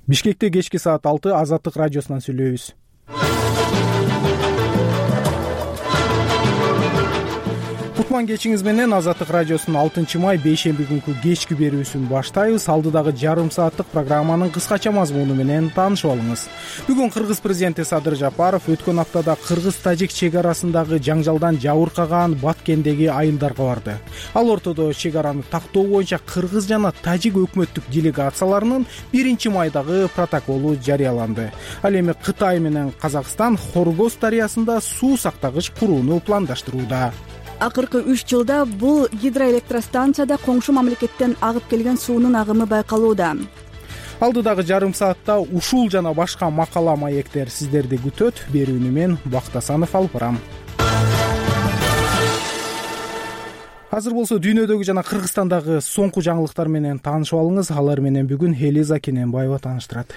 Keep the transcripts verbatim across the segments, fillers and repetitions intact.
Бишкекте кечки саат алты Азаттык радиосунан сүйлөйбүз. Кутман кечиңиз менен Азаттык радиосунун алтынчы май бейшемби күнкү кечки берүүсүн баштайбыз. Алдыдагы жарым сааттык программанын кыскача мазмуну менен таанышып алыңыз. Бүгүн Кыргыз президенти Садыр Жапаров өткөн аптада Кыргыз-Тажик чек арасындагы жаңжалдан жабыркаган Баткендеги айылдарга барды. Ал ортодо чек араны тактоо боюнча Кыргыз жана Тажик өкмөттүк делегацияларынын биринчи майдагы протоколу жарыяланды. Ал эми Кытай менен Казакстан Хоргоз дарыясында суу сактагыч курууну пландаштырууда. Акыркы үч жылда бул гидроэлектростанцияда коңшу мамлекеттен агып келген суунун агымы байкалууда. Алдыдагы жарым саатта ушул жана башка макала маектер сиздерди күтөт. Берүүнү мен Бактасанов алып барам. Азыр болсо дүйнөдөгү жана Кыргызстандагы соңку жаңылыктар менен таанышып алыңыз. Алар менен бүгүн Элиза Кененбаева тааныштырат.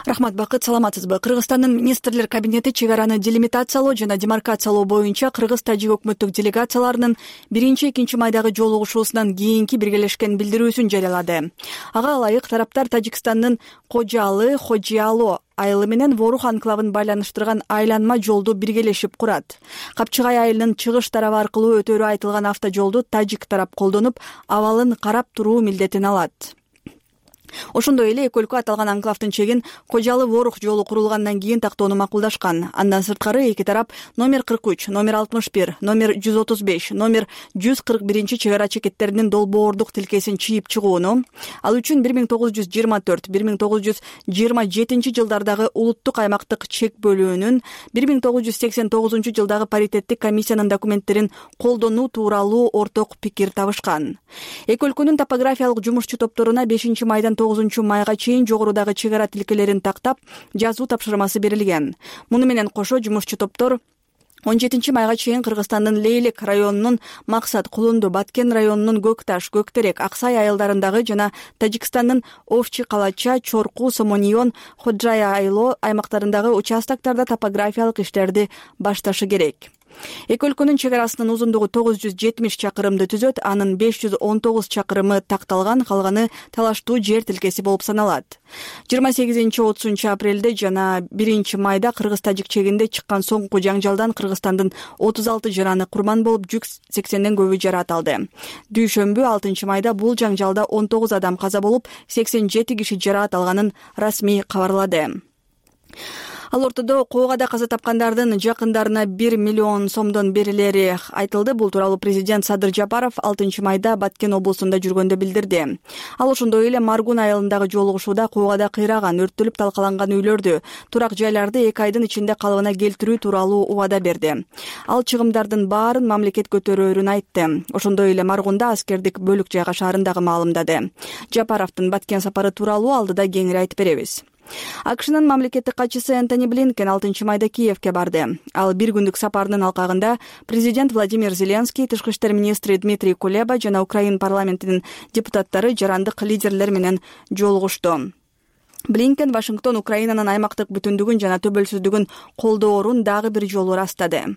Рахмат, Бакыт, саламатсызбы? Кыргызстандын министрлер кабинети чек араны делимитациялоо жана демаркациялоо боюнча Кыргыз-Тажик өкмөттүк делегацияларынын биринчи экинчи майдагы жолугушуусунан кийинки биргелешкен билдирүүсүн жарыялады. Ага ылайык тараптар Тажикстандын Кожалы, Хожиало айылы менен Ворух анклавын байланыштырган айланма жолду биргелешип курат. Капчыгай айылынын чыгыш тарабы аркылуу өтөрү айтылган автожолду Тажик тарап колдонуп, абалын карап туруу милдетин алат. Ошондой эле эки өлкө аталган анклавдын чегин Кожалы Ворух жолу курулгандан кийин тактоону макулдашкан. Андан сырткары эки тарап номер кырк үч, номер алтымыш бир, номер жүз отуз беш, номер жүз кырк биринчи чек ара чекеттеринин долбоордук тилкесин чийип чыгууну, ал үчүн бир миң тогуз жүз жыйырма төрт бир миң тогуз жүз жыйырма жетинчи жылдардагы улуттук аймактык чек бөлүүнүн бир миң тогуз жүз сексен тогузунчу жылдагы паритеттик комиссиянын документтерин колдонуу тууралуу орток пикир табышкан. Эки өлкөнүн топографиялык жумушчу топторуна бешинчи майдан тогузунчу майга чейин жогорудагы чек ара тилкелерин тактап жазуу тапшырмасы берилген. Муну менен кошо жумушчу топтор он жетинчи майга чейин Кыргызстандын Лейлек районунун Максат, Кулунду, Баткен районунун Көкташ, Көктерек, Аксай айылдарындагы жана Тажикстандын Овчи, Калача, Чорку, Сомонион, Ходжая айло аймактарындагы участоктарда топографиялык иштерди башташы керек. Эки өлкөнүн чек арасынын узундугу тогуз жүз жетимиш чакырымды түзөт, анын беш жүз он тогуз чакырымы такталган, калганы талаштуу жер тилкеси болуп саналат. жыйырма сегизинчи отузунчу апрелде жана биринчи майда Кыргыз-Тажик чегинде чыккан соңку жаңжалдан Кыргызстандын отуз алты жараны курман болуп, жүз сексенден көбү жарат алды. Дүйшөмбү алтынчы майда бул жаңжалда он тогуз адам каза болуп, сексен жети киши жарат алганын расмий кабарлады. Ал ортодо Коогада каза тапкандардын жакындарына бир миллион сомдон берилери айтылды. Бул тууралуу президент Садыр Жапаров алтынчы майда Баткен облусунда жүргөндө билдирди. Ал ошондой эле Маргун айылындагы жолугушууда Коогада кыйраган, өрттөлүп талкаланган үйлөрдү, турак жайларды эки айдын ичинде калыбына келтирүү тууралуу убада берди. Ал чыгымдардын баарын мамлекет көтөрөөрүн айтты. Ошондой эле Маргунда аскердик бөлүк жайгашаарын дагы маалымдады. Жапаровдун Баткен сапары тууралуу алдыда кеңири айтып беребиз. АКШнын мамлекеттик катчысы Энтони Блинкен алтынчы майда Киевке барды. Ал бир күндүк сапарынын алкагында президент Владимир Зеленский, тышкы иштер министри Дмитрий Кулеба жана Украин парламентинин депутаттары жарандык лидерлер менен жолугушту. Блинкен Вашингтон Украинанын аймактык бүтүндүгүн жана төбөлсүздүгүн колдоорун дагы бир жолу ырастады.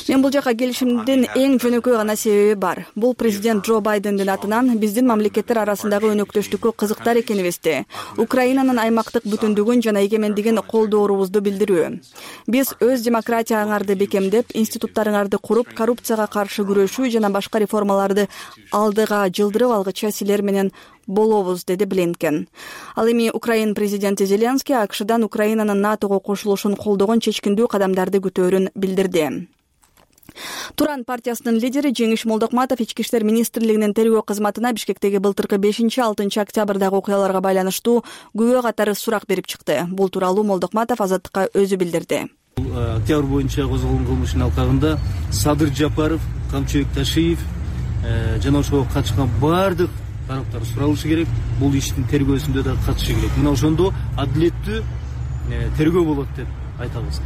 Мен бул жака келишимдин эң жөнөкөй гана себеби бар. Бул президент Джо Байдендин атынан биздин мамлекеттер арасындагы өнөктөштүккө кызыктар экенибизди, Украинанын аймактык бүтүндүгүн жана эгемендигин колдоорубузду билдирүү. Биз өз демократияңарды бекемдеп, институттарыңарды куруп, коррупцияга каршы күрөшүү жана башка реформаларды алдыга жылдырып алгыча силер менен болобуз, деди Блинкен. Ал эми Украин президенти Зеленский АКШдан Украинанын НАТОго кошулушун колдогон чечкиндүү кадамдарды күтөөрүн билдирди. Туран партиясынын лидери Жеңиш Молдокматов ички иштер министрлигинин тергөө кызматына Бишкектеги былтыркы бешинчи алтынчы октябрдагы окуяларга байланыштуу күбө катары сурак берип чыкты. Бул тууралуу Молдокматов Азаттыкка өзү билдирди. Октябрь боюнча козголгон кылмыштын алкагында Садыр Жапаров, Камчыбек Ташиев жана ошого катышкан бардык тараптар суралышы керек. Бул иштин тергөөсүндө да катышы керек. Мына ошондо адилеттүү тергөө болот деп айтабыз.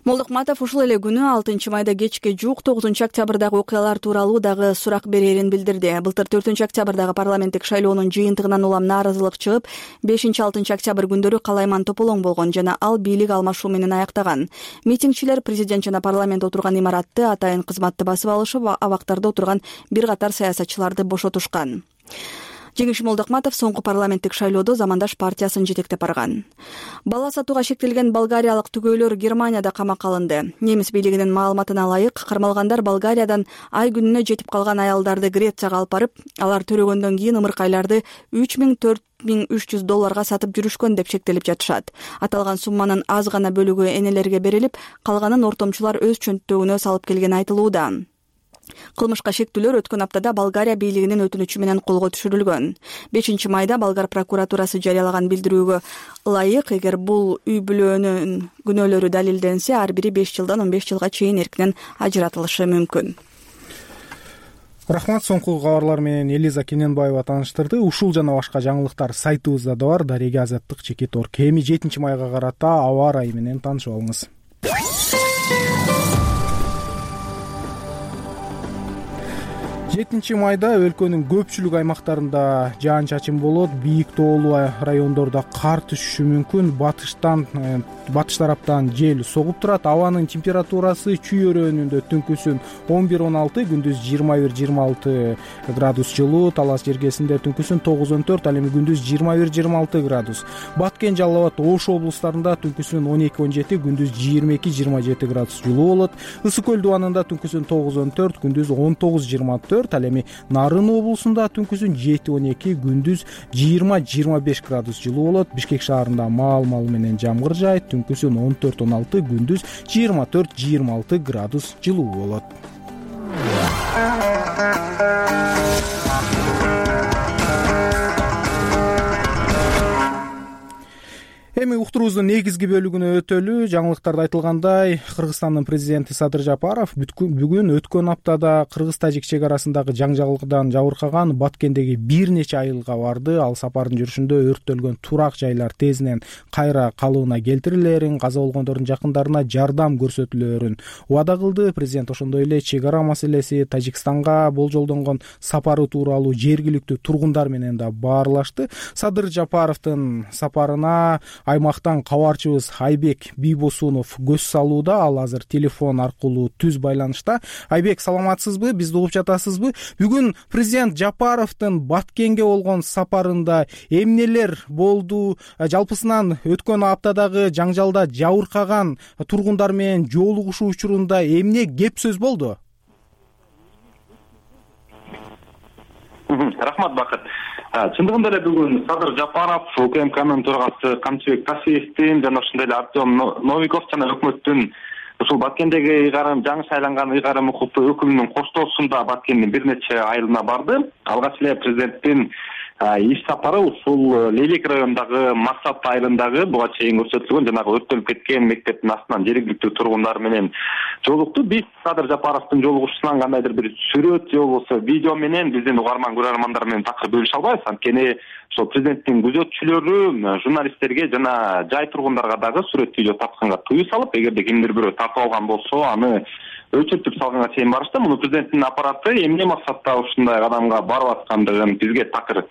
Молдокматов ушул эле күнү алтынчы майда кечке жуук тогузунчу октябрдагы окуялар тууралуу дагы сурак берерин билдирди. Былтыр төртүнчү октябрдагы парламенттик шайлоонун жыйынтыгынан улам нааразылык чыгып, бешинчи алтынчы октябрь күндөрү калайман тополоң болгон жана ал бийлик алмашуу менен аяктаган. Митингчилер президент жана парламент отурган имаратты атайын кызматты басып алышып, абактарда отурган бир катар саясатчыларды бошотушкан. Жеңиш Молдокматов соңку парламенттик шайлоодо Замандаш партиясын жетектеп барган. Бала сатууга шектелген болгариялык түгөйлөр Германияда камакка алынды. Немис бийлигинин маалыматына ылайык, кармалгандар Болгариядан ай күнүнө жетип калган аялдарды Грецияга алып барып, алар төлөгөндөн кийин ымыркайларды үч миң төрт миң үч жүз долларга сатып жүрүшкөн деп шектелип жатышат. Аталган сумманын аз гана бөлүгү энелерге берилип, калганын ортомчулар өз чөнттөгүнө салып келгени айтылууда. Кылмышка шектүүлөр өткөн аптада Болгария бийлигинин өтүнүчү менен колго түшүрүлгөн. бешинчи майда Болгар прокуратурасы жарыялаган билдирүүгө ылайык, эгер бул үй бүлөнүн күнөөлөрү далилденсе, ар бири беш жылдан он беш жылга чейин эркинен ажыратылышы мүмкүн. Рахмат, соңку кабарлар менен Элиза Кененбаева тааныштырды. Ушул жана башка жаңылыктар сайтыбызда да бар. Дарега Азаттык Чекит Орг. Эми жетинчи майга карата аба ырайы менен таанышып алыңыз. жетинчи майда өлкөнүн көпчүлүк аймактарында жаан-чачын болот. Бийик тоолуу райондордо кар түшүшү мүмкүн. Батыштан батыш тараптан жел согуп турат. Абанын температурасы чүй өрөөнүндө түнкүсүн он бир он алты, күндүз жыйырма бир жыйырма алты градус жылуу, Талас жергесинде түнкүсүн тогуз он төрт, ал эми күндүз жыйырма бир жыйырма алты градус. Баткен, Жалал Абад, Ош облустарында түнкүсүн он эки он жети, күндүз жыйырма эки жыйырма жети градус жылуу болот. Ысык көл дубанында түнкүсүн тогуз он төрт, күндүз он тогуз жыйырма төрт, ал эми Нарын облусунда түнкүсүн жети он эки, күндүз жыйырма жыйырма беш градус жылуу болот. Бишкек шаарында маал-маал менен жамгыр жаайт, түнкүсүн он төрт он алты, күндүз жыйырма төрт жыйырма алты градус жылуу болот. Эми уктуруубуздун негизги бөлүгүнө өтөлү. Жаңылыктарда айтылгандай, Кыргызстандын президенти Садыр Жапаров бүгүн өткөн аптада Кыргыз-Тажик чек арасындагы жаңжалдыктан жабыркаган Баткендеги бир нече айылга барды. Ал сапардын жүрүшүндө өрттөлгөн турак жайлар тезинен кайра калыбына келтирилерин, каза болгондордун жакындарына жардам көрсөтүлөрүн убада кылды. Президент ошондой эле чек ара маселеси, Тажикстанга болжолдонгон сапары тууралуу жергиликтүү тургундар менен да баарлашты. Садыр Жапаровдун сапарына аймактан кабарчыбыз Айбек Бийбосунов көз салууда. Ал азыр телефон аркылуу түз байланышта. Айбек, саламатсызбы? Бизди угуп жатасызбы? Бүгүн президент Жапаровдун Баткенге болгон сапарында эмнелер болду? Жалпысынан өткөн аптадагы жаңжалда жабыркаган тургундар менен жолугушуу учурунда эмне кеп сөз болду? Рахмат, Бакыт. Чындыгында эле бүгүн Садыр Жапаров, УКМКнын төрагасы Камчыбек Тасиевдин жана ошондой эле Артем Новиков жана өкмөттүн ушул Баткендеги ыйгарым жаңы шайланган ыйгарым укуктуу өкүлүнүн коштоосунда Баткендин бир нече айылына барды. Алгач эле президенттин иш сапары ушул Лелек районундагы Максат айылындагы буга чейин көрсөтүлгөн жанагы өрттөлүп кеткен мектептин астынан жергиликтүү тургундар менен жолукту. Биз Садыр Жапаровдун жолугушуусунан кандайдыр бир сүрөт же болбосо видео менен биздин угарман көрөрмандар менен такыр бөлүшө албайбыз. Анткени ошол президенттин күзөтчүлөрү журналисттерге жана жай тургундарга дагы сүрөт видео тартканга тыюу салып, эгерде кимдир бирөө тартып алган болсо аны өчүртүп салганга чейин барышты. Муну президенттин аппараты эмне максатта ушундай кадамга барып аткандыгын бизге такыр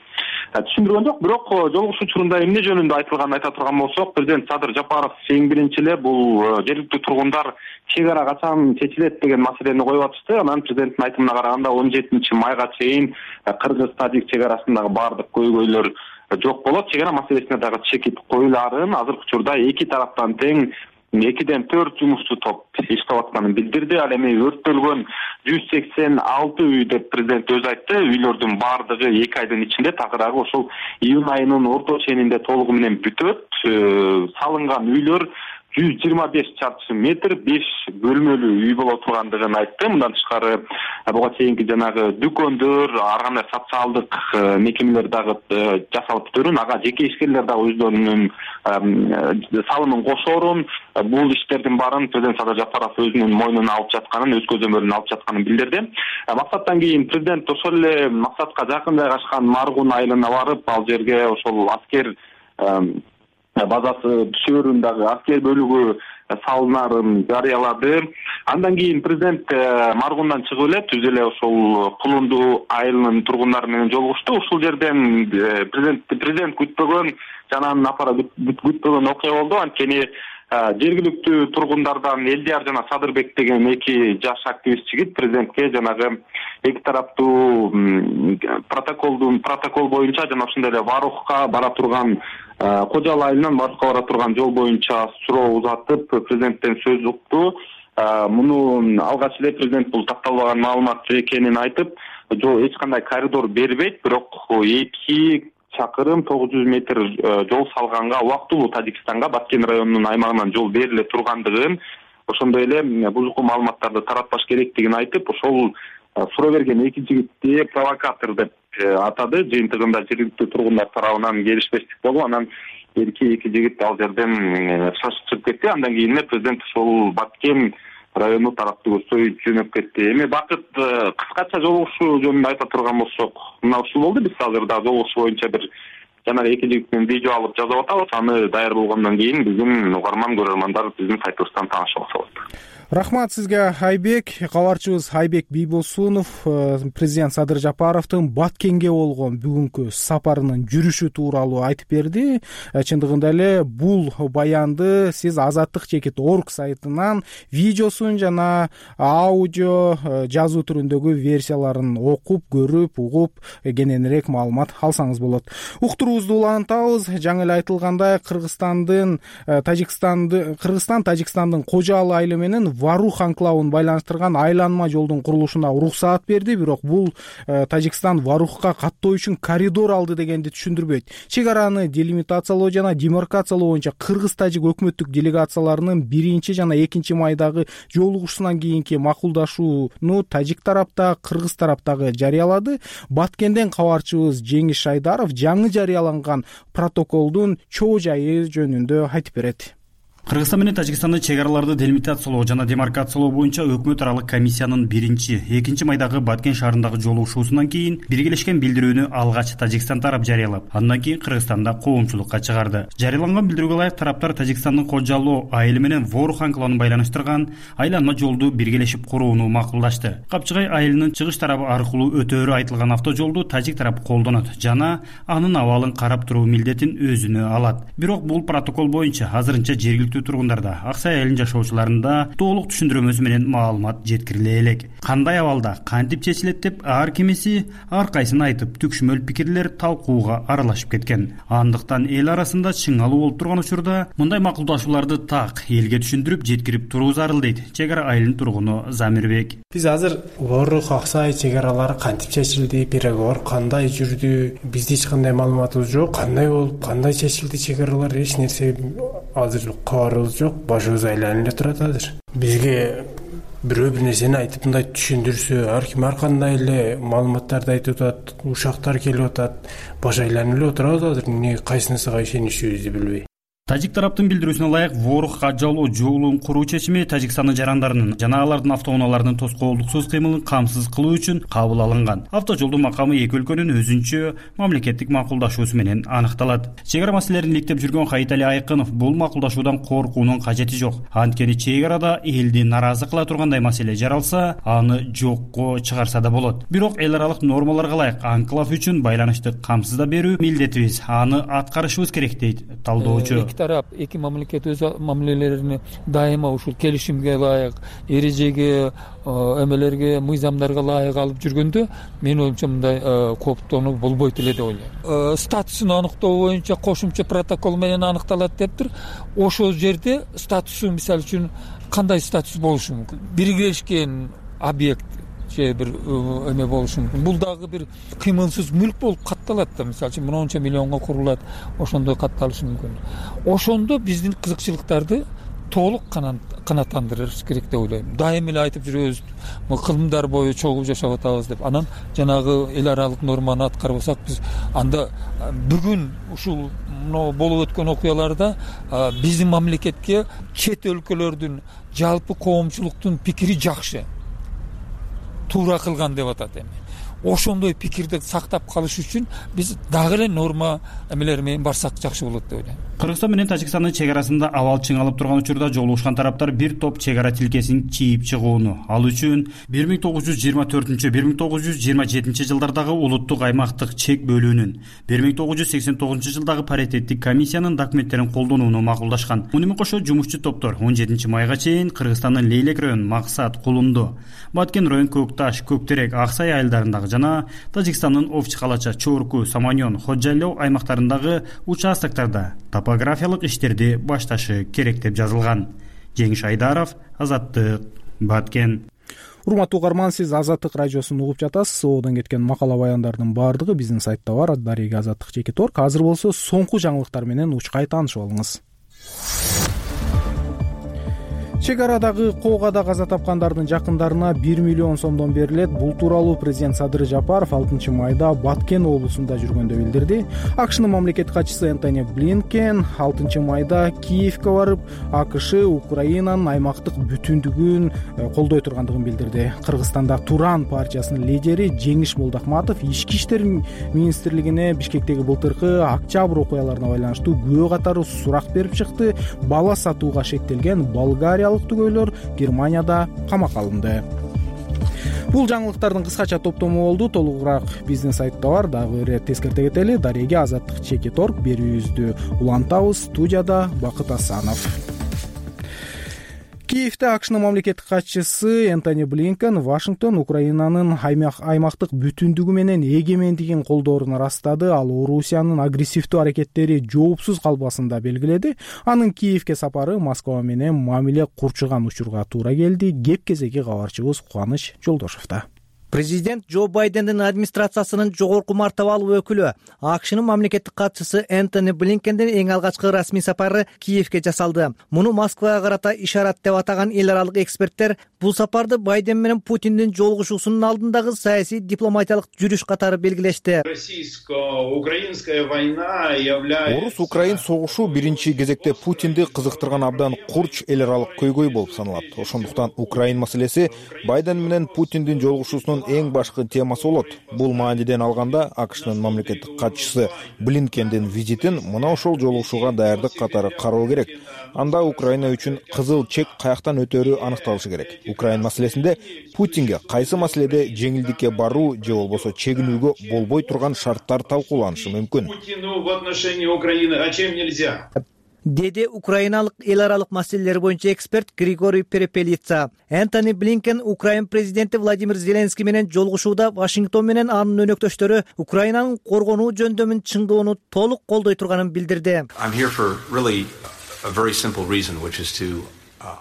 түшүндүргөн жок. Бирок жолугушуу учурунда эмне жөнүндө айтылганын айта турган болсок, президент Садыр Жапаров эң биринчи эле бул жергиликтүү тургундар чек ара качан чечилет деген маселени коюп атышты. Анан президенттин айтымына караганда он жетинчи майга чейин Кыргыз-Тажик чек арасындагы баардык көйгөйлөр жок болот. Чек ара маселесине дагы чекит коюлаарын азыркы учурда эки тараптан тең экиден төрт жумушчу топ иштеп атканын билдирди. Ал эми өрттөлгөн жүз сексен алты үй деп президент өзү айтты. Үйлөрдүн баардыгы эки айдын ичинде, такыраагы ошол июнь айынын орто ченинде толугу менен бүтөт. Салынган үйлөр жүз жыйырма беш чарчы метр, беш бөлмөлүү үй боло тургандыгын айтты. Мындан тышкары буга чейинки жанагы дүкөндөр, ар кандай социалдык мекемелер дагы жасалып бүтөрүн, ага жеке ишкерлер дагы өздөрүнүн салымын кошоорун, бул иштердин баарын президент Садыр Жапаров өзүнүн мойнуна алып жатканын, өз көзөмөлүнө алып жатканын билдирди. Максаттан кийин президент ошол эле максатка жакын жайгашкан Маргун айылына барып, ал жерге ошол аскер базасы түшөөрүн дагы аскер бөлүгү салынарын жарыялады. Андан кийин президент Маргундан чыгып эле түз эле ошол Кулунду айылынын тургундары менен жолугушту. Ушул жерден президент президент күтпөгөн жана анын аппараты күтпөгөн окуя болду. Анткени жергиликтүү тургундардан Элдияр жана Садырбек деген эки жаш активист жигит президентке жанагы эки тараптуу протоколдун протокол боюнча жана ошондой эле Варухка бара турган Кожалы айылынан Варухка бара турган жол боюнча суроо узатып президенттен сөз укту. Муну алгач эле президент бул такталбаган маалымат экенин айтып, эч кандай коридор бербейт, бирок эки чакырым тогуз жүз метр жол салганга, убактылуу Тажикстанга Баткен районунун аймагынан жол бериле тургандыгын, ошондой эле бузуку маалыматтарды таратпаш керектигин айтып, ошол суроо берген эки жигитти провокатор деп атады. Жыйынтыгында жергиликтүү тургундар тарабынан келишпестик болуп, анан эки эки жигит ал жерден шашып чыгып кетти. Андан кийин президент ошол Баткен району тараптуу көздөй жөнөп кетти. Эми Бакыт, кыскача жолугушуу жөнүндө айта турган болсок, мына ушул болду. Биз азыр да жолугушуу боюнча бир жана эки жигиттен видео алып жазып атабыз. Аны даяр болгондон кийин биздин угарман көрөрмандар биздин сайтыбыздан таанышып алса болот. Рахмат сизге, Айбек. Кабарчыбыз Айбек Бийбосунов президент Садыр Жапаровдун Баткенге болгон бүгүнкү сапарынын жүрүшү тууралуу айтып берди. Чындыгында эле бул баянды сиз Азаттык чекит орг сайтынан видеосун жана аудио жазуу түрүндөгү версияларын окуп, көрүп, угуп, кененирээк маалымат алсаңыз болот. Уктуруубузду улантабыз. Жаңы эле айтылгандай, Кыргызстандын Тажикстанды Кыргызстан Тажикстандын Кожалы айылы менен Варух анклавын байланыштырган айланма жолдун курулушуна уруксаат берди, бирок бул Тажикстан Варухка каттоо үчүн коридор алды дегенди түшүндүрбөйт. Чек араны делимитациялоо жана демаркациялоо боюнча кыргыз-тажик өкмөттүк делегацияларынын биринчи жана экинчи майдагы жолугушуусунан кийинки макулдашууну тажик тарапта, кыргыз тараптагы жарыялады. Баткенден кабарчыбыз Жеңиш Шайдаров жаңы жарыяланган протоколдун чоо жайы жөнүндө айтып берет. Кыргызстан менен Тажикстандын чек араларды делимитациялоо жана демаркациялоо боюнча өкмөт аралык комиссиянын биринчи, экинчи майдагы Баткен шаарындагы жолугушуусунан кийин биргелешкен билдирүүнү алгач Тажикстан тарап жарыялап, андан кийин Кыргызстанда коомчулукка чыгарды. Жарыяланган билдирүүгө ылайык тараптар Тажикстандын Кожалы айылы менен Ворух анклавын байланыштырган айланма жолду биргелешип курууну макулдашты. Капчыгай айылынын чыгыш тарабы аркылуу өтөөрү айтылган автожолду тажик тарап колдонот жана анын абалын карап туруу милдетин өзүнө алат. Бирок бул протокол боюнча азырынча жергиликтүү тургундарда, Аксай айылынын жашоочуларында толук түшүндүрмөсү менен маалымат жеткириле элек. Кандай абалда, кантип чечилет деп ар кимиси ар кайсын айтып, түкшмөл пикирлер талкууга аралашып кеткен. Андыктан эл арасында чыңалуу болуп турган учурда мындай макулдашууларды так элге түшүндүрүп жеткирип туруу зарыл дейт чек ара айылынын тургуну Замирбек. Биз азыр Ворух, Аксай чек аралары кантип чечилди, переговор кандай жүрдү, бизде эч кандай маалыматыбыз жок. Кандай болуп, кандай чечилди чек аралар, эч нерсе азыр кабарыбыз жок. Башыбыз айланып эле турат азыр. Бизге бирөө бир нерсени айтып мындай түшүндүрсө, ар ким ар кандай эле маалыматтарды айтып атат, ушактар келип атат, баш айланып эле отурабыз азыр. Эмне кайсынысыга ишенишибизди билбей. Тажик тараптын билдирүүсүнө ылайык, Ворух Кожалы жолун куруу чечими Тажикстандын жарандарынын жана алардын автоунааларынын тоскоолдуксуз кыймылын камсыз кылуу үчүн кабыл алынган. Автожолдун макамы эки өлкөнүн өзүнчө мамлекеттик макулдашуусу менен аныкталат. Чек ара маселелерин иликтеп жүргөн Кайтали Айкынов бул макулдашуудан коркуунун кажети жок. Анткени чек арада элди наразы кыла тургандай маселе жаралса, аны жокко чыгарса да болот. Бирок эл аралык нормаларга ылайык анклав үчүн байланышты камсызда берүү милдетибиз. Аны аткарышыбыз керек дейт талдоочу. Тарап эки мамлекет өз мамилелерин дайыма ушул келишимге ылайык, эрежеге, эмелерге, мыйзамдарга ылайык алып жүргөндө менин оюмча мындай кооптонуу болбойт эле деп ойлойм. Статусун аныктоо боюнча кошумча протокол менен аныкталат дептир. Ошол жерде статусу мисалы үчүн кандай статус болушу мүмкүн? Биргелешкен объект же бир эме болушу мүмкүн. Бул дагы бир кыймылсыз мүлк болуп катталат да, мисалы үчүн мынча миллионго курулат, ошондой катталышы мүмкүн. Ошондо биздин кызыкчылыктарды толук канааттандырыш керек деп ойлойм. Дайым эле айтып жүрөбүз, кылымдар бою чогуу жашап атабыз деп. Анан жанагы эл аралык норманы аткарбасак, биз анда бүгүн ушул болуп өткөн окуяларда биздин мамлекетке чет өлкөлөрдүн жалпы коомчулуктун пикири жакшы, туура кылган деп атат. Эми ошондой пикирди сактап калыш үчүн биз дагы эле норма эмелер менен барсак жакшы болот деп ойлойм. Кыргызстан менен Тажикстандын чек арасында абал чыңалып турган учурда жолугушкан тараптар бир топ чек ара тилкесин чийип чыгууну, ал үчүн бир миң тогуз жүз жыйырма төртүнчү бир миң тогуз жүз жыйырма жетинчи жылдардагы улуттук аймактык чек бөлүүнүн, бир миң тогуз жүз сексен тогузунчу жылдагы паритеттик комиссиянын документтерин колдонууну макулдашкан. Муну менен кошо жумушчу топтор он жетинчи майга чейин Кыргызстандын Лейлек район, Максат, Кулумду, Баткен район, Көкташ, Көктерек, Аксай айылдарындагы жана Тажикстандын Овчи Калача, Чорку, Саманьон, Ходжайлоо аймактарындагы участоктарда топографиялык иштерди башташы керек деп жазылган. Жеңиш Айдаров, Азаттык, Баткен. Урматтуу угарман, сиз Азаттык радиосун угуп жатасыз. Соодон кеткен макала баяндардын баардыгы биздин сайтта бар. Дареги Азаттык чекит орг. Азыр болсо соңку жаңылыктар менен учкай таанышып алыңыз. Чек арадагы коогада каза тапкандардын жакындарына бир миллион сомдон берилет. Бул тууралуу президент Садыр Жапаров алтынчы майда Баткен облусунда жүргөндө билдирди. АКШнын мамлекеттик катчысы Энтони Блинкен алтынчы майда Киевке барып, АКШ Украинанын аймактык бүтүндүгүн колдой тургандыгын билдирди. Кыргызстанда Туран партиясынын лидери Жеңиш Молдохматов ички иштер министрлигине Бишкектеги былтыркы октябрь окуяларына байланыштуу күбө катары сурак берип чыкты. Бала сатууга шектелген Болгария түгөйлөр Германияда камакка алынды. Бул жаңылыктардын кыскача топтому болду. Толугураак биздин сайтта бар. Дагы бир тескерте кетели. Дареги Азаттык чекит орг берүүбүздү улантабыз. Студияда Бакыт Асанов. Киевде АКШнын мамлекеттик катчысы Энтони Блинкен Вашингтон Украинанын аймактык бүтүндүгү менен эгемендигин колдоорун ырастады. Ал Орусиянын агрессивдүү аракеттери жоопсуз калбасын да белгиледи. Анын Киевге сапары Москва менен мамиле курчуган учурга туура келди. Кеп кезеги кабарчыбыз Кубаныч Жолдошовдо. Президент Джо Байдендин администрациясынын жогорку мартабалуу өкүлү АКШнын мамлекеттик катчысы Энтони Блинкендин эң алгачкы расмий сапары Киевге жасалды. Муну Москвага карата ишарат деп атаган эл аралык эксперттер бул сапарды Байден менен Путиндин жолугушуусунун алдындагы саясий дипломатиялык жүрүш катары белгилешти. Орус-Украин согушу биринчи кезекте Путинди кызыктырган абдан курч эл аралык көйгөй болуп саналат. Ошондуктан Украин маселеси Байден менен Путиндин жолугушуусунун эң башкы темасы болот. Бул мааниден алганда АКШнын мамлекеттик катчысы Блинкендин визитин мына ошол жолугушууга даярдык катары кароо керек. Анда Украина үчүн кызыл чек каяктан өтөрү аныкталышы керек. Украин маселесинде Путинге кайсы маселеде жеңилдикке баруу же болбосо чегинүүгө болбой турган шарттар талкууланышы мүмкүн. Деди украиналык эл аралык маселелер боюнча эксперт Григорий Перепелица. Энтони Блинкен Украин президенти Владимир Зеленский менен жолугушууда Вашингтон менен анын өнөктөштөрү Украинанын коргонуу жөндөмүн чыңдоону толук колдой турганын билдирди.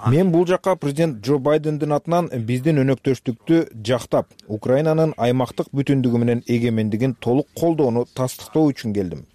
Мен бул жакка президент Джо Байдендин атынан биздин өнөктөштүктү жактап, Украинанын аймактык бүтүндүгү менен эгемендигин толук колдоону тастыктоо үчүн келдим.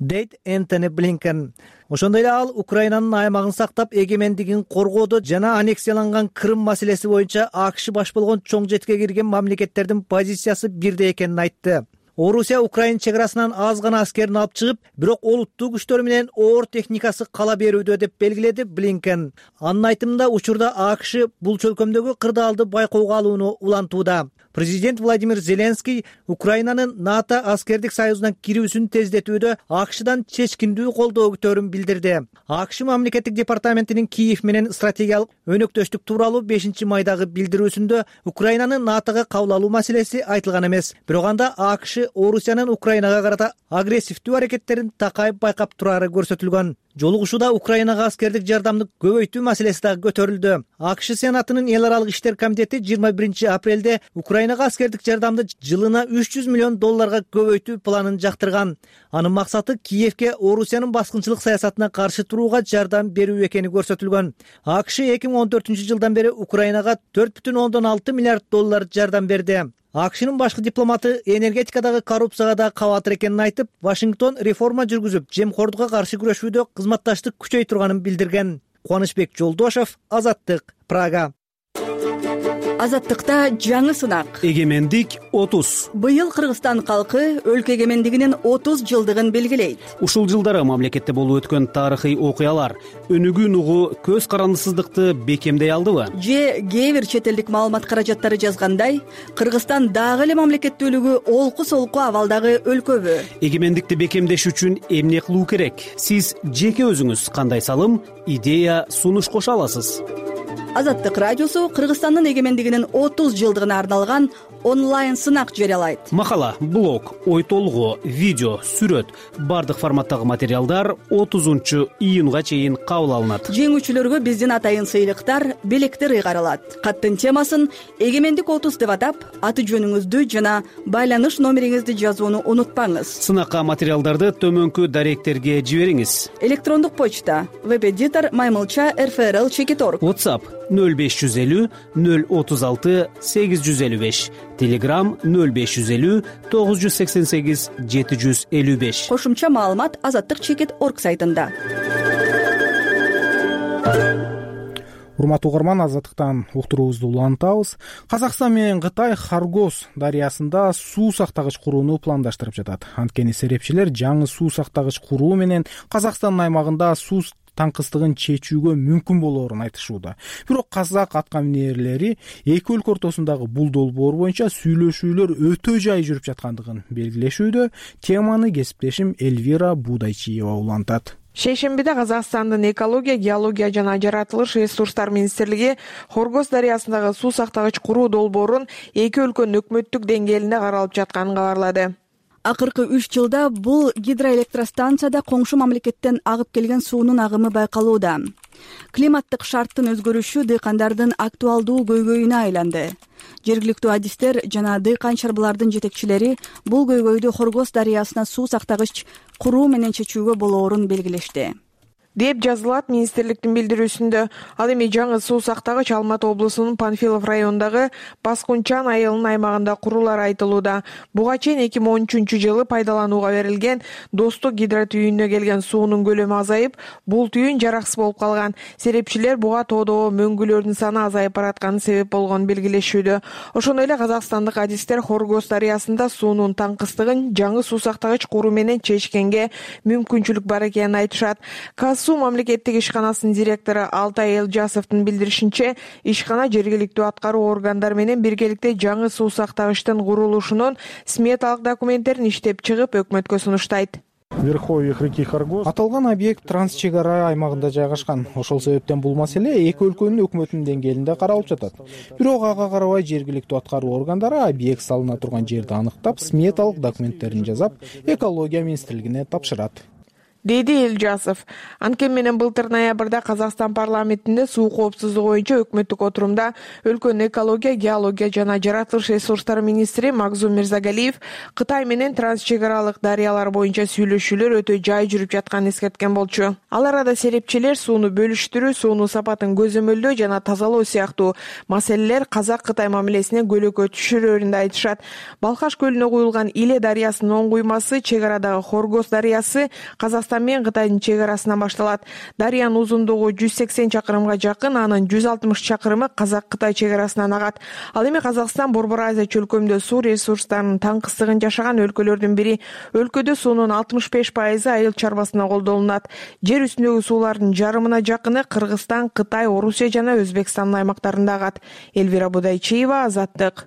Дейт Энтони Блинкен. Ошондой эле ал Украинанын аймагын сактап, эгемендигин коргоодо жана аннексияланган Крым маселеси боюнча АКШ баш болгон чоң жетке кирген мамлекеттердин позициясы бирдей экенин айтты. Орусия Украин чек арасынан аз гана аскерин алып чыгып, бирок олуттуу күчтөр менен оор техникасы кала берүүдө деп белгиледи Блинкен. Анын айтымында учурда АКШ бул чөлкөмдөгү кырдаалды байкоого алууну улантууда. Президент Владимир Зеленский Украинанын НАТО аскердик союзуна кирүүсүн тездетүүдө АКШдан чечкиндүү колдоо күтөөрүн билдирди. АКШ мамлекеттик департаментинин Киев менен стратегиялык өнөктөштүк тууралуу бешинчи майдагы билдирүүсүндө Украинаны НАТОга кабыл алуу маселеси айтылган эмес. Бирок анда АКШ Орусиянын Украинага карата агрессивдүү аракеттерин такайып байкап турары көрсөтүлгөн. Жолугушууда Украинага аскердик жардамды көбөйтүү маселеси дагы көтөрүлдү. АКШ Сенатынын эл аралык иштер комитети жыйырма биринчи апрелде Украинага аскердик жардамды жылына үч жүз миллион долларга көбөйтүү планын жактырган. Анын максаты Киевке Орусиянын баскынчылык саясатына каршы турууга жардам берүү экени көрсөтүлгөн. АКШ эки миң он төртүнчү жылдан бери Украинага төрт бүтүн ондон алты миллиард доллар жардам берди. АКШнын башкы дипломаты энергетикадагы коррупцияга да кабатыр экенин айтып, Вашингтон реформа жүргүзүп, жемкордукка каршы күрөшүүдө кызматташтык күчөй турганын билдирген. Кубанычбек Жолдошов, Азаттык, Прага. Азаттыкта жаңы сынак. Эгемендик отуз. Быйыл Кыргызстан калкы өлкө эгемендигинин отуз жылдыгын белгилейт. Ушул жылдары мамлекетте болуп өткөн тарыхый окуялар өнүгүүнү угуу көз карандысыздыкты бекемдей алдыбы? Же кээ бир чет элдик маалымат каражаттары жазгандай, Кыргызстан дагы эле мамлекеттүүлүгү олку солку абалдагы өлкөбү? Эгемендикти бекемдеш үчүн эмне кылуу керек? Сиз жеке өзүңүз кандай салым, идея, сунуш кошо аласыз? Азаттык радиосу Кыргызстандын эгемендигинин отуз жылдыгына арналган онлайн сынак жарыялайт. Макала, блог, ой толгоо, видео, сүрөт бардык форматтагы материалдар отузунчу июнга чейин кабыл алынат. Жеңүүчүлөргө биздин атайын сыйлыктар, белектер ыйгарылат. Каттын темасын эгемендик отуз деп атап, аты жөнүңүздү жана байланыш номериңизди жазууну унутпаңыз. Сынакка материалдарды төмөнкү даректерге жибериңиз. Электрондук почта веб-эдитор маймылча эр эф эр эл чекит точка орг. WhatsApp нөл беш жүз элүү нөл отуз алты сегиз жүз элүү беш. Telegram нөл беш жүз элүү тогуз жүз сексен сегиз жети жүз элүү беш. Кошумча маалымат азаттык чекит точка орг сайтында. Урматтуу угарман, азаттыктан уктуруубузду улантабыз. Казакстан менен Кытай Хоргоз дарыясында суу сактагыч курууну пландаштырып жатат. Анткени серепчилер жаңы суу сактагыч куруу менен Казакстандын аймагында суу таңкыстыгын чечүүгө мүмкүн болоорун айтышууда. Бирок казак аткаминерлери эки өлкө ортосундагы бул долбоор боюнча сүйлөшүүлөр өтө жай жүрүп жаткандыгын белгилешүүдө. Теманы кесиптешим Эльвира Будайчиева улантат. Шейшембиде Казакстандын экология, геология жана жаратылыш ресурстар министрлиги Хоргоз дарыясындагы суу сактагыч куруу долбоорун эки өлкөнүн өкмөттүк деңгээлинде каралып жатканын кабарлады. Акыркы үч жылда бул гидроэлектростанцияда коңшу мамлекеттен агып келген суунун агымы байкалууда. Климаттык шарттын өзгөрүшү дыйкандардын актуалдуу көйгөйүнө айланды. Жергиликтүү адистер жана дыйкан чарбалардын жетекчилери бул көйгөйдү Хоргоз дарыясына суу сактагыч куруу менен чечүүгө болоорун белгилешти, деп жазылат министрликтин билдирүүсүндө. Ал эми жаңы суу сактагыч Алматы облусунун Панфилов районундагы Баскунчан айылынын аймагында курулары айтылууда. Буга чейин эки миң он үчүнчү жылы пайдаланууга берилген Достук гидротүйүнүнө келген суунун көлөмү азайып, бул түйүн жараксыз болуп калган. Серепчилер буга тоодогу мөңгүлөрдүн саны азайып баратканы себеп болгонун белгилешүүдө. Ошондой эле казакстандык адистер Хоргоз дарыясында суунун таңкыстыгын жаңы суу сактагыч куруу менен чечкенге мүмкүнчүлүк бар экенин айтышат. Суу мамлекеттик ишканасынын директору Алтай Элжасовдун билдиришинче, ишкана жергиликтүү аткаруу органдары менен биргеликте жаңы суу сактагычтын курулушунун сметалык документтерин иштеп чыгып, өкмөткө сунуштайт. Верховьях реки Хоргоз аталган объект транс чек ара аймагында жайгашкан. Ошол себептен бул маселе эки өлкөнүн өкмөтүнүн деңгээлинде каралып жатат. Бирок ага карабай жергиликтүү аткаруу органдары объект салына турган жерди аныктап, сметалык документтерин жасап, экология министрлигине тапшырат, деди Элжасов. Анткени менен былтыр ноябрда Казакстан парламентинде суу коопсуздугу боюнча өкмөттүк отурумда өлкөнүн экология, геология жана жаратылыш ресурстары министри Магзум Мирзагалиев Кытай менен трансчек аралык дарыялар боюнча сүйлөшүүлөр өтө жай жүрүп жатканын эскерткен болчу. Ал арада серепчилер сууну бөлүштүрүү, суунун сапатын көзөмөлдөө жана тазалоо сыяктуу маселелер Казак-Кытай мамилесине көлөкө түшүрөрүн да айтышат. Балкаш көлүнө куюлган Иле дарыясынын оң куймасы, чек арадагы Хоргоз дарыясы Казакстан мен Кытайдын чек арасынан башталат. Дарыянын узундугу жүз сексен чакырымга жакын, анын жүз алтымыш чакырымы Казак-Кытай чек арасынан агат. Ал эми Казакстан Борбор Азия чөлкөмдө суу ресурстарынын таңкыстыгын жашаган өлкөлөрдүн бири. Өлкөдө суунун алтымыш беш пайызы айыл чарбасына колдонулат. Жер үстүндөгү суулардын жарымына жакыны Кыргызстан, Кытай, Орусия жана Өзбекстандын аймактарында агат. Эльвира Будайчиева, Азаттык.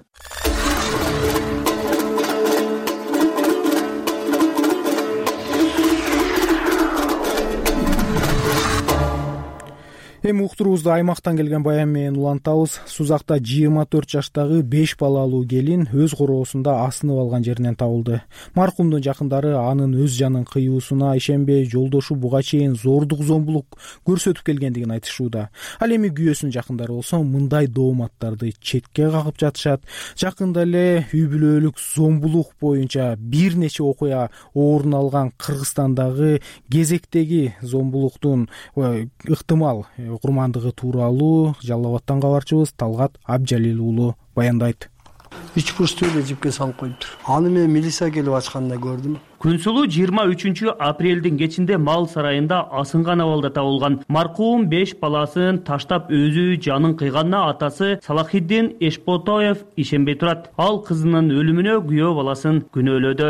Эми уктуруубузду аймактан келген баян менен улантабыз. Сузакта жыйырма төрт жаштагы беш балалуу келин өз короосунда асынып алган жеринен табылды. Маркумдун жакындары анын өз жанын кыюусуна ишенбей, жолдошу буга чейин зордук зомбулук көрсөтүп келгендигин айтышууда. Ал эми күйөөсүнүн жакындары болсо мындай дооматтарды четке кагып жатышат. Жакында эле үй бүлөлүк зомбулук боюнча бир нече окуя орун алган Кыргызстандагы кезектеги зомбулуктун ыктымал курмандыгы тууралуу Жалал Абадтан кабарчыбыз Талгат Абжалил уулу баяндайт. Үч бурчтуу эле жипке салып коюптур. Аны мен милиция келип ачканда көрдүм. Күнсулуу жыйырма үчүнчү апрелдин кечинде мал сарайында асынган абалда табылган. Маркум беш баласын таштап өзү жанын кыйганына атасы Салахиддин Эшпотоев ишенбей турат. Ал кызынын өлүмүнө күйөө баласын күнөөлөдү.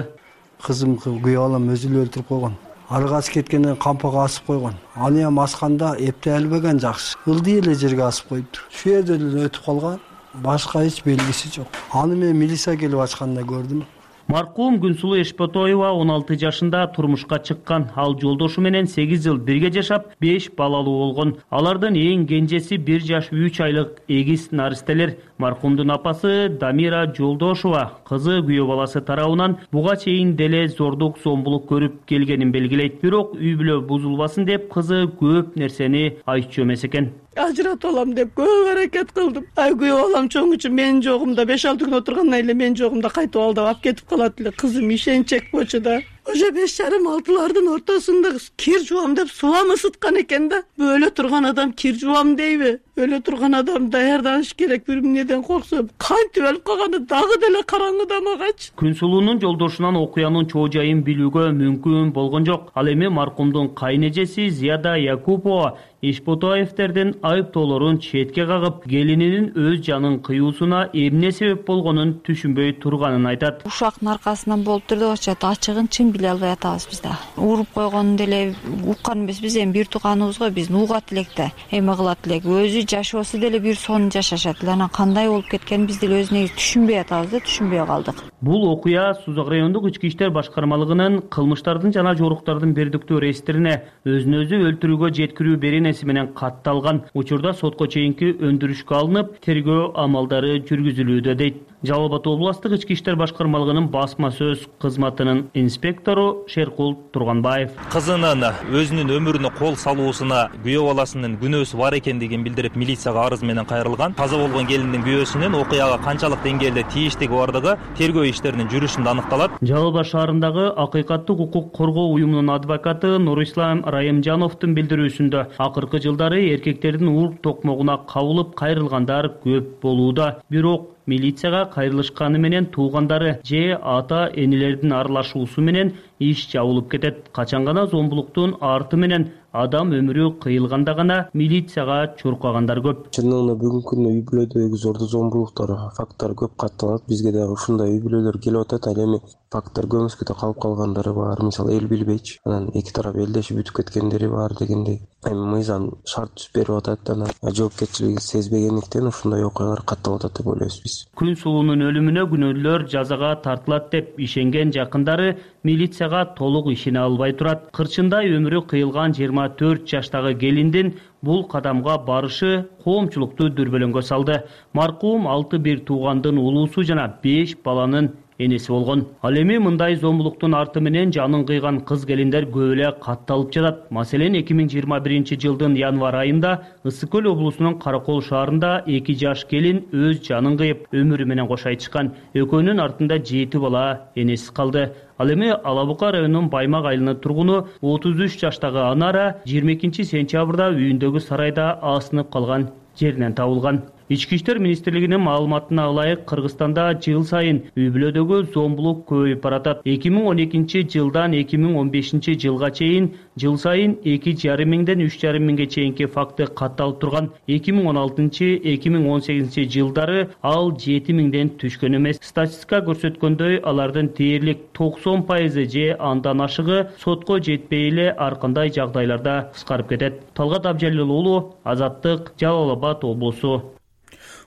Кызым күйөө балам өзү эле өлтүрүп койгон. Аргасы кеткенден кампага асып койгон. Аны эми асканда эптеп албаган жакшы. Ылдый эле жерге асып коюптур. Şu жерде эле өтүп калган. Башка эч белгиси жок. Аны мен милиция келип ачканда көрдүм. Маркум Күнсулуу Эшпотоева он алты жашында турмушка чыккан. Ал жолдошу менен сегиз жыл бирге жашап, беш балалуу болгон. Алардын эң кенжеси бир жаш үч айлык эгиз наристелер. Маркумдун апасы Дамира Жолдошова кызы күйөө баласы тарабынан буга чейин деле зордук зомбулук көрүп келгенин белгилейт. Бирок үй бүлө бузулбасын деп кызы көп нерсени айтчу эмес экен. Ажыратып алам деп көп аракет кылдым. Ай күйөө балам чоң үчүн менин жогумда беш алты күн отургандан эле менин жогумда кайтып алдап алып кетип калат эле. Кызым ишенчек болчу да. Уже беш жарым алтылардын ортосунда кир жуам деп сулам ысыткан экен да. Өлө турган адам кир жуам дейби? Өлө турган адам даярданыш керек, бир эмнеден корксо. Кантип өлүп калганы дагы деле караңгыда магачы. Күнсулуунун жолдошунан окуянын чоо жайын билүүгө мүмкүн болгон жок. Ал эми маркумдун кайнэжеси Зияда Якупова Эшпотоевтердин айыптоолорун четке кагып, келининин өз жанын кыюусуна эмне себеп болгонун түшүнбөй турганын айтат. Ушактын аркасынан болуптур деп атышат. Ачыгын чын биле албай атабыз биз да. Уруп койгонун деле уккан эмеспиз, эми бир тууганыбызга биздин угат элек да. Эме кылат элек. Өзү жашоосу деле бир сонун жашашат эле. Анан кандай болуп кеткенин биз деле өзү негизи түшүнбөй атабыз да, түшүнбөй калдык. Бул окуя Сузак райондук ички иштер башкармалыгынын кылмыштардын жана жоруктардын бердиктүү реестрине өзүн өзү өлтүрүүгө жеткирүү беренеси менен катталган. Учурда сотко чейинки өндүрүшкө алынып, тергөө амалдары жүргүзүлүүдө дейт. Жалал Абад областык ички иштер башкармалыгынын басма сөз кызматынын инспектору Шеркул Турганбаев. Кызынын өзүнүн өмүрүнө кол салуусуна күйөө баласынын күнөөсү бар экендигин билдирип милицияга арыз менен кайрылган. Каза болгон келиндин күйөөсүнүн окуяга канчалык деңгээлде тийиштиги бардыгы тергөө иштеринин жүрүшүндө аныкталат. Жалал Абад шаарындагы акыйкаттык укук коргоо уюмунун адвокаты Нурислам Райымжановдун билдирүүсүндө акыркы жылдары эркектердин урк токмогуна кабылып кайрылгандар көп болууда. Бирок милицияга кайрылышканы менен туугандары же ата энелердин аралашуусу менен иш жабылып кетет. Качан гана зомбулуктун арты менен адам өмүрү кыйылганда гана милицияга чуркагандар көп. Чындыгында бүгүнкү күндө үй бүлөдөгү зордуу зомбулуктар факттары көп катталат. Бизге дагы ушундай үй бүлөлөр келип атат. Ал эми факттар көмүскөдө калып калгандары бар. Мисалы эл билбейчи. Анан эки тарап элдешип бүтүп кеткендери бар дегендей. Эми мыйзам шарт түзүп берип атат. Анан жоопкерчилиги сезбегендиктен ушундай окуялар катталып атат деп ойлойбуз биз. Күнсулуунун өлүмүнө күнөөлүүлөр жазага тартылат деп ишенген жакындары милицияга толук ишене албай турат. Кырчындай өмүрү кыйылган жыйырма төрт жаштагы келиндин бул кадамга барышы коомчулукту дүрбөлөңгө салды. Маркум алты бир туугандын улуусу жана беш баланын энеси болгон. Ал эми мындай зомбулуктун арты менен жанын кыйган кыз келиндер көп эле катталып жатат. Маселен эки миң жыйырма биринчи жылдын январь айында Ысык көл облусунун Каракол шаарында эки жаш келин өз жанын кыйып, өмүрү менен кош айтышкан. Экөөнүн артында жети бала энесиз калды. Ал эми Ала Бука районунун Баймак айылынын тургуну отуз үч жаштагы Анара жыйырма экинчи сентябрда үйүндөгү сарайда асынып калган жеринен табылган. Ички иштер министрлигинин маалыматына ылайык, Кыргызстанда жыл сайын үй бүлөдөгү зомбулук көбөйүп баратат. эки миң он экинчи жылдан эки миң он бешинчи жылга чейин жыл сайын эки жарым миңден үч жарым миңге чейинки факты катталып турган. эки миң он алтынчы эки миң он сегизинчи жылдары ал жети миңден түшкөн эмес. Статистика көрсөткөндөй, алардын дээрлик токсон пайызы же андан ашыгы сотко жетпей эле ар кандай жагдайларда кыскарып кетет. Талгат Абжалил уулу, Азаттык, Жалал Абад облусу.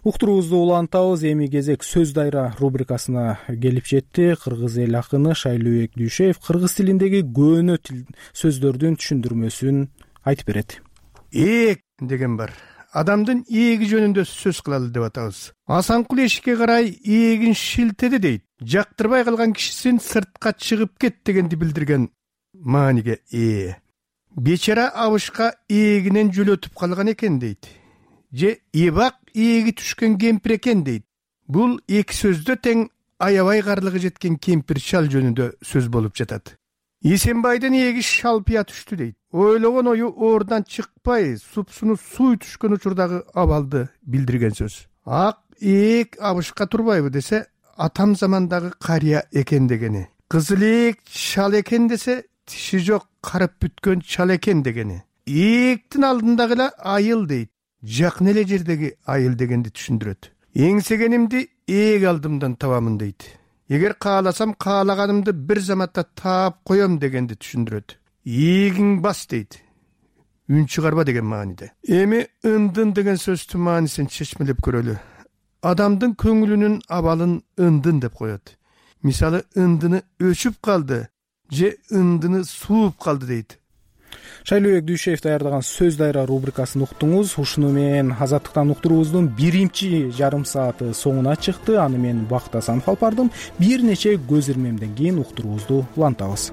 Уктуруубузду улантабыз. Эми кезек сөз дайра рубрикасына келип жетти. Кыргыз эл акыны Шайлообек Дүйшеев кыргыз тилиндеги көөнө сөздөрдүн түшүндүрмөсүн айтып берет. Эек деген бар. Адамдын ээги жөнүндө сөз кылалы деп атабыз. Асанкул эшикке карай ээлин шилтеди дейт. Жактырбай калган кишисин сыртка чыгып кет дегенди билдирген мааниге ээ. Бечара абышка ээлинен жөлөтүп калган экен дейт. Же эбак ээги түшкөн кемпир экен дейт. Бул эки сөздө тең аябай карлыгы жеткен кемпир шал жөнүндө сөз болуп жатат. Эсенбайдын ээги шалпыя түштү дейт. Ойлогон ою оордан чыкпай, супсуну суу түшкөн учурдагы абалды билдирген сөз. Ак ээк абышка турбайбы десе, атам замандагы карыя экен дегени. кызылээк чал экен десе тиши жок карып бүткөн чал экен дегени. Ээктин алдындагы эле айыл дейт, жакын эле жердеги айыл дегенди түшүндүрөт. Эңсегенимди ээг алдымдан табамын дейт. Эгер кааласам каалаганымды бир заматта таап коем дегенди түшүндүрөт. Эгиң бас дейт, үн чыгарба деген мааниде. Эми ындын деген сөздүн маанисин чечмелеп көрөлү. Адамдын көңүлүнүн абалын ындын деп коет. Мисалы, ындыны өчүп калды же ындыны сууп калды дейт. Шайлообек Дүйшеев даярдаган сөз дайра рубрикасын уктуңуз. Ушуну менен Азаттыктан уктуруубуздун биринчи жарым сааты соңуна чыкты. Аны мен Бактас Анфалп бардым. Бир нече көз ирмемден кийин уктуруубузду улантабыз.